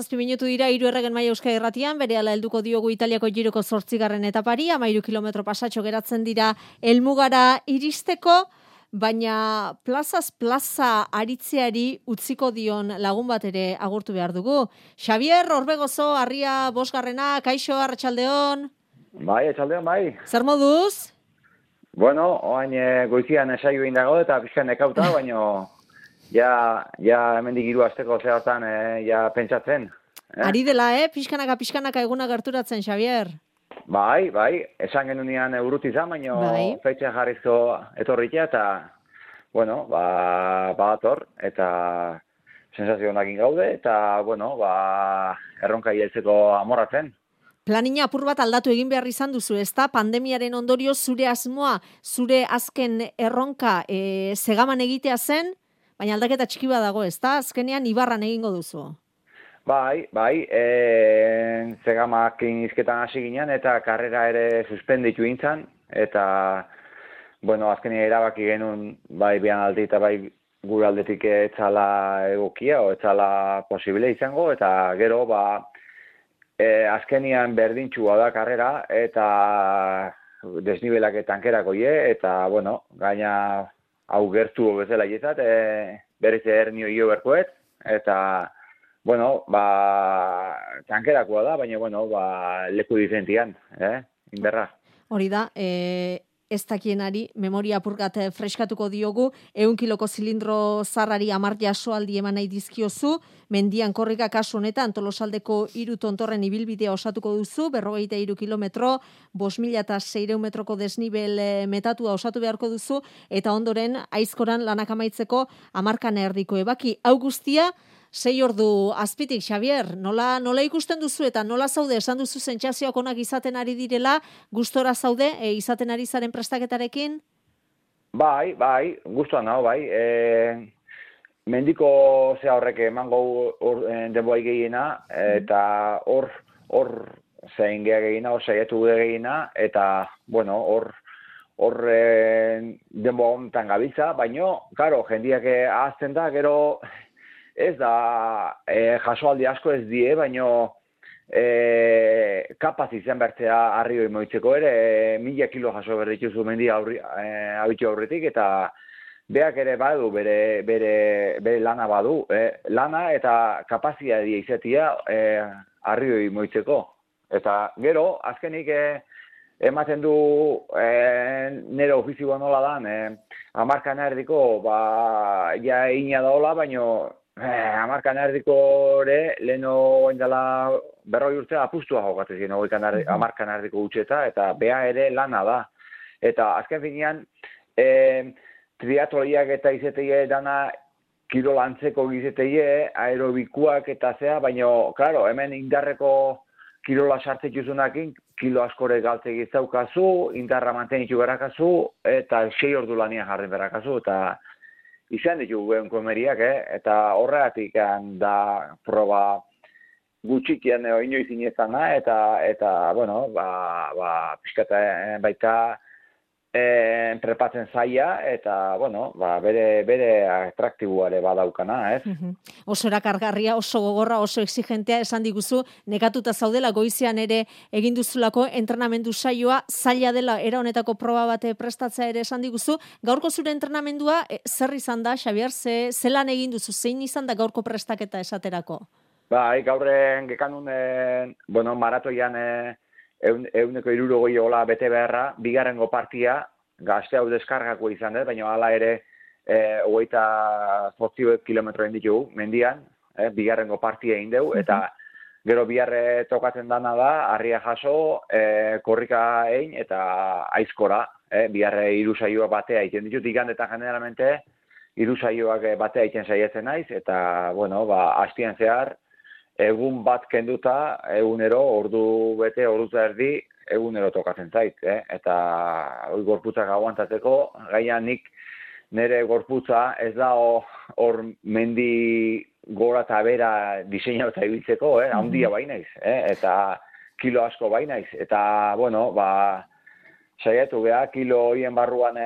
7 minutu dira 3 erregen maila Euskadi Irratian, berehala helduko diogu Italiako Giroko 8. etapari, 13 kilometro pasatxo geratzen dira helmugara iristeko, baina plazaz plaza aritzeari utziko dion lagun bat ere agurtu behar dugu. Xabier Orbegozo, Arria 5. Kaixo, arratsaldeon. Bai, arratsaldeon, bai. Zer moduz? Bueno, orain goizian esaio egin dago eta pixkan nekauta, baina ja hemendik 3 asteko zehaztan ja pentsatzen. Ari dela, pixkanaka eguna gerturatzen, Xabier. Bai, esan genunean urruti izan, baina feitxa jarrizko etorritea eta, bueno, ator, eta sensazio honakin gaude, eta, bueno, erronka heltzeko amorratzen. Planina apur bat aldatu egin behar izan duzu, ezta? Pandemiaren ondorio zure asmoa, zure azken erronka segaman egitea zen, baina aldaketa txiki bat dago, ezta? Azkenean ibarran egingo duzu. Bai, zegamakin izketan hasi ginen eta karrera ere suspenditu intzan, eta, bueno, azkenean erabaki genuen, bai bian aldi eta bai gure aldetik etzala egokia, o etzala posible izango, eta gero, azkenean berdintxua da karrera, eta desnibelak tankerako eta, bueno, gaina hau gertu bezala izat, berriz hernio hio berkoet, eta, bueno, tankerakoa da, baina, bueno, leku diferentian, inberra. Hori da, ez dakienari, memoria apurgat freskatuko diogu, 100 kiloko zilindro zarrari 10 jasoaldi eman nahi dizkiozu, mendian korrika kasu honetan, Tolosaldeko 3 tontorren ibilbidea osatuko duzu, 43 kilometro, 5.600 metroko desnibel metatua osatu beharko duzu, eta ondoren, aizkoran lanak amaitzeko 10 erdiko ebaki. Hau guztia, 6 ordu azpitik, Xabier, nola ikusten duzu eta nola zaude, esan duzu sentsazioak onak izaten ari direla, gustora zaude, izaten ari zaren prestaketarekin? Bai, gustuan hau, bai. Mendiko horrek emango denboi gehiena, eta hor zein gehiena, hor saiatu gehiena, eta, bueno, hor denboi honetan gabiltza, baina, karo, jendiak ahazten da, gero, ez da, jasoaldi asko ez die, baina kapaz izan bertzea arrioi moitzeko ere, 1000 kilo jaso berdituzu mendia abitu aurretik, eta beak ere badu, bere lana badu. Lana eta kapazia izatea arrioi moitzeko. Eta gero, azkenik ematen du nire ofizioa nola dan, 10 erdiko, ja egina daola, baina 10 erdiko ere, leheno indela 40 urtea apustua jokatzen ziren, 10 erdiko utxeta, eta bea ere lana da. Eta azken finean, triatloniak eta izeteie dana kirolantzeko izeteie, aerobikuak eta zea, baina, klaro, hemen indarreko kirola sartzetuzunakin, kilo askore galtze gizaukazu, indarra mantenitu berakazu, eta 6 ordu lanian jarren berakazu, eta izan ditu guen komeriak, eta horregatik da proba gutxikian inoiz inezana, eta, bueno, pixkata baita prepatzen zaila, eta, bueno, bere atraktibuare badaukana, ez? Oso erakargarria, oso gogorra, oso exigentea, esan diguzu, nekatuta zaudela goizean ere egin duzulako entrenamendu saioa, zaila dela era honetako proba bate prestatzea ere esan diguzu. Gaurko zure entrenamendua, zer izan da, Xabier, zelan egin duzu, zein izan da gaurko prestaketa esaterako? Gaurren gekanun, bueno, maratoian 160 hola bete beharra, bigarrengo partia, gazte hau deskargako izan dut, baina hala ere 28 kilometroen ditugu mendian, bigarrengo partia egin dugu, eta gero biharre tokatzen dana da, harria jaso, korrika egin eta aizkora, biharre 3 saioak batea egiten ditut, igandetan generalmente 3 saioak batea egiten saiatzen naiz, eta, bueno, hastian zehar, egun bat kenduta, egunero, ordu bete, ordu erdi, egunero tokatzen zait, eta hori gorputzak aguantatzeko, gaina nik nire gorputza ez da hor mendi gora eta bera diseinatuta ibiltzeko, handia bainaiz, eta kilo asko bainaiz, eta, bueno, saiatu beha, kilo hoien barruan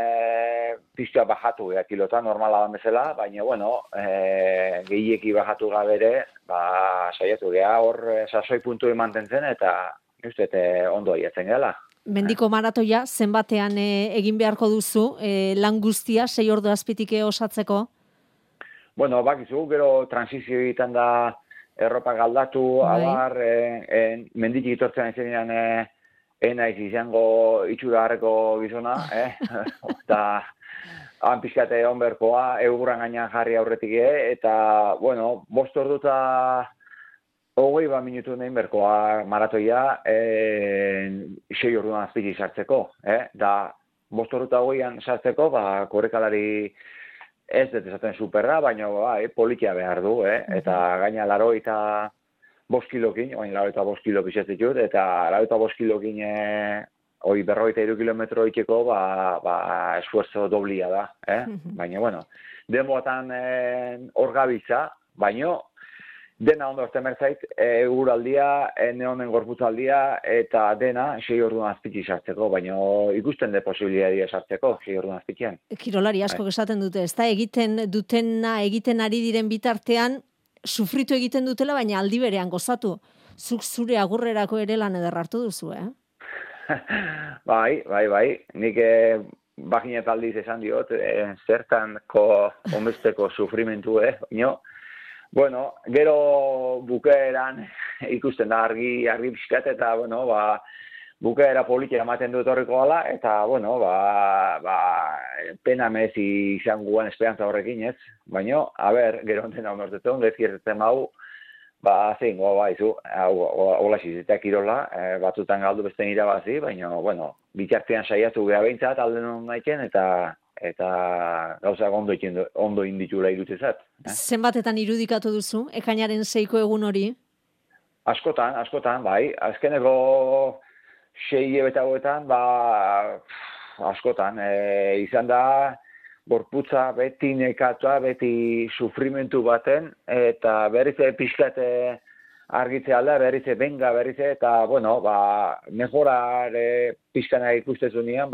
piztua bajatu beha kilotan, normala da bezala, baina, bueno, gehieki bajatu gabere, saiatu geha hor sasoi puntu mantentzen eta uste ondo aiatzen gela. Mendiko maratoia zenbatean egin beharko duzu, lan guztia 6 ordu azpitik osatzeko? Bueno, bakizu, gero transizio egiten da erropa galdatu, abar, menditik itortzen aizenean enaiz izango itxura harreko gizona, eta han pixkate onberkoa, egurran gainean jarri aurretik, eta, bueno, 5 ordu eta 20 minutu nein berkoa maratoia 6 orduan azpiti sartzeko, da 5 ordu eta 20an sartzeko, korrekalari ez dut esaten superra, baina politia behar du, eta gaina 85 kilokin, baina 85 kilo pisetitut, eta 85 kilokin 43 kilometro iteko, esfuerzo doblia da, baina, bueno, denboatan hor gabiltza, baina dena ondo orten berzait, eguraldia, neonen gorputzaldia, eta dena 6 orduan azpiti sartzeko, baina ikusten de posibilidadia sartzeko 6 orduan azpitian. Kirolari asko esaten dute, ez da egiten dutena, egiten ari diren bitartean, sufritu egiten dutela, baina aldi berean gozatu. Zuk zure agurrerako ere lan eder hartu duzu, Bai. Nik baginet aldiz esan diot, zertanko onbesteko sufrimentu, baina, bueno, gero bukaeran ikusten da argi pixkat, eta, bueno, bukaera politia ematen dut horreko gala, eta, bueno, pena mezi izan guan esperantza horrekin, ez? Baina, gero onten hau nortetzen, gezkiertetzen hau, izu, hola xizetak kirola, batzutan galdu beste irabazi, baina, bueno, bitartean saiatu geha behintzat, alden hon naiken, eta gauzak ondo inditula irutzezat. Zenbatetan irudikatu duzu, ekainaren 6ko egun hori? Askotan, bai. Azkeneko 6 betagoetan, askotan. Izan da, gorputza beti nekatua, beti sufrimentu baten, eta berrize pixkate argitze alda, berrize benga, eta, bueno, mejora pixkana ikustezu nian,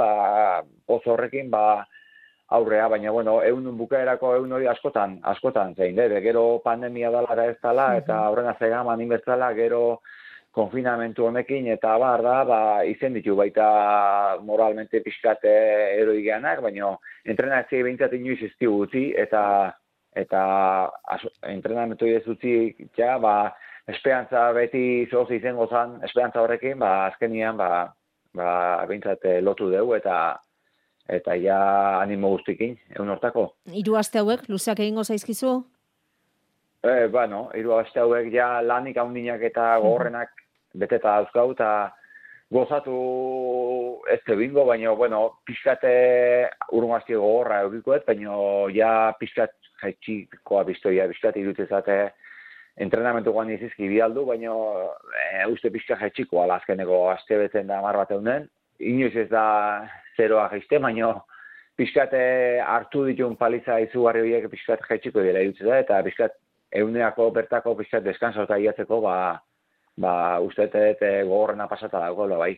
poz horrekin, aurrea, baina, bueno, egun bukaerako egun hori askotan zein, gero pandemia dala ez dala, eta horren azegaman inbestzala, gero konfinamentu honekin, eta izen ditu baita moralmente pixkate eroi geanak, baina entrenatzi behintzat inoiz ez utzi, eta entrenamentu ez utzi, esperantza beti zoz izango zan, esperantza horrekin, azkenian, behintzat lotu dugu, eta ja animo guztikin, egun hortako. 3 aste hauek, luzeak egingo zaizkizu? 3 aste hauek ja lanik haundinak eta gogorrenak beteta dauzkau, eta gozatu ez bingo, baina, bueno, pixkate urmazti gogorra eukikoet, baina ja pixkat jaitxikoa biztoia, pixkat irutzezate entrenamentu guan izizki bialdu, baina uste pixkat jaitxikoa azkeneko aste beten da 10 bat eunen. Inoiz ez da zeroa jaizte, baina pixkate hartu ditun paliza izugarri horiek pixkat jaitxiko dira irutzeza, eta pixkat euneako bertako pixkat deskansa eta iatzeko, uste gogorrena pasata dago, bai.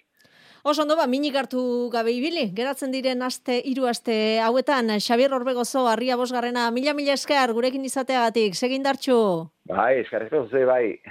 Oso ondo, minik hartu gabe ibili, geratzen diren 3 aste hauetan, Xabier Orbegozo, Arria 5. Mila esker gurekin izateagatik, segindartxu. Bai, eskerrezko zuzei, bai.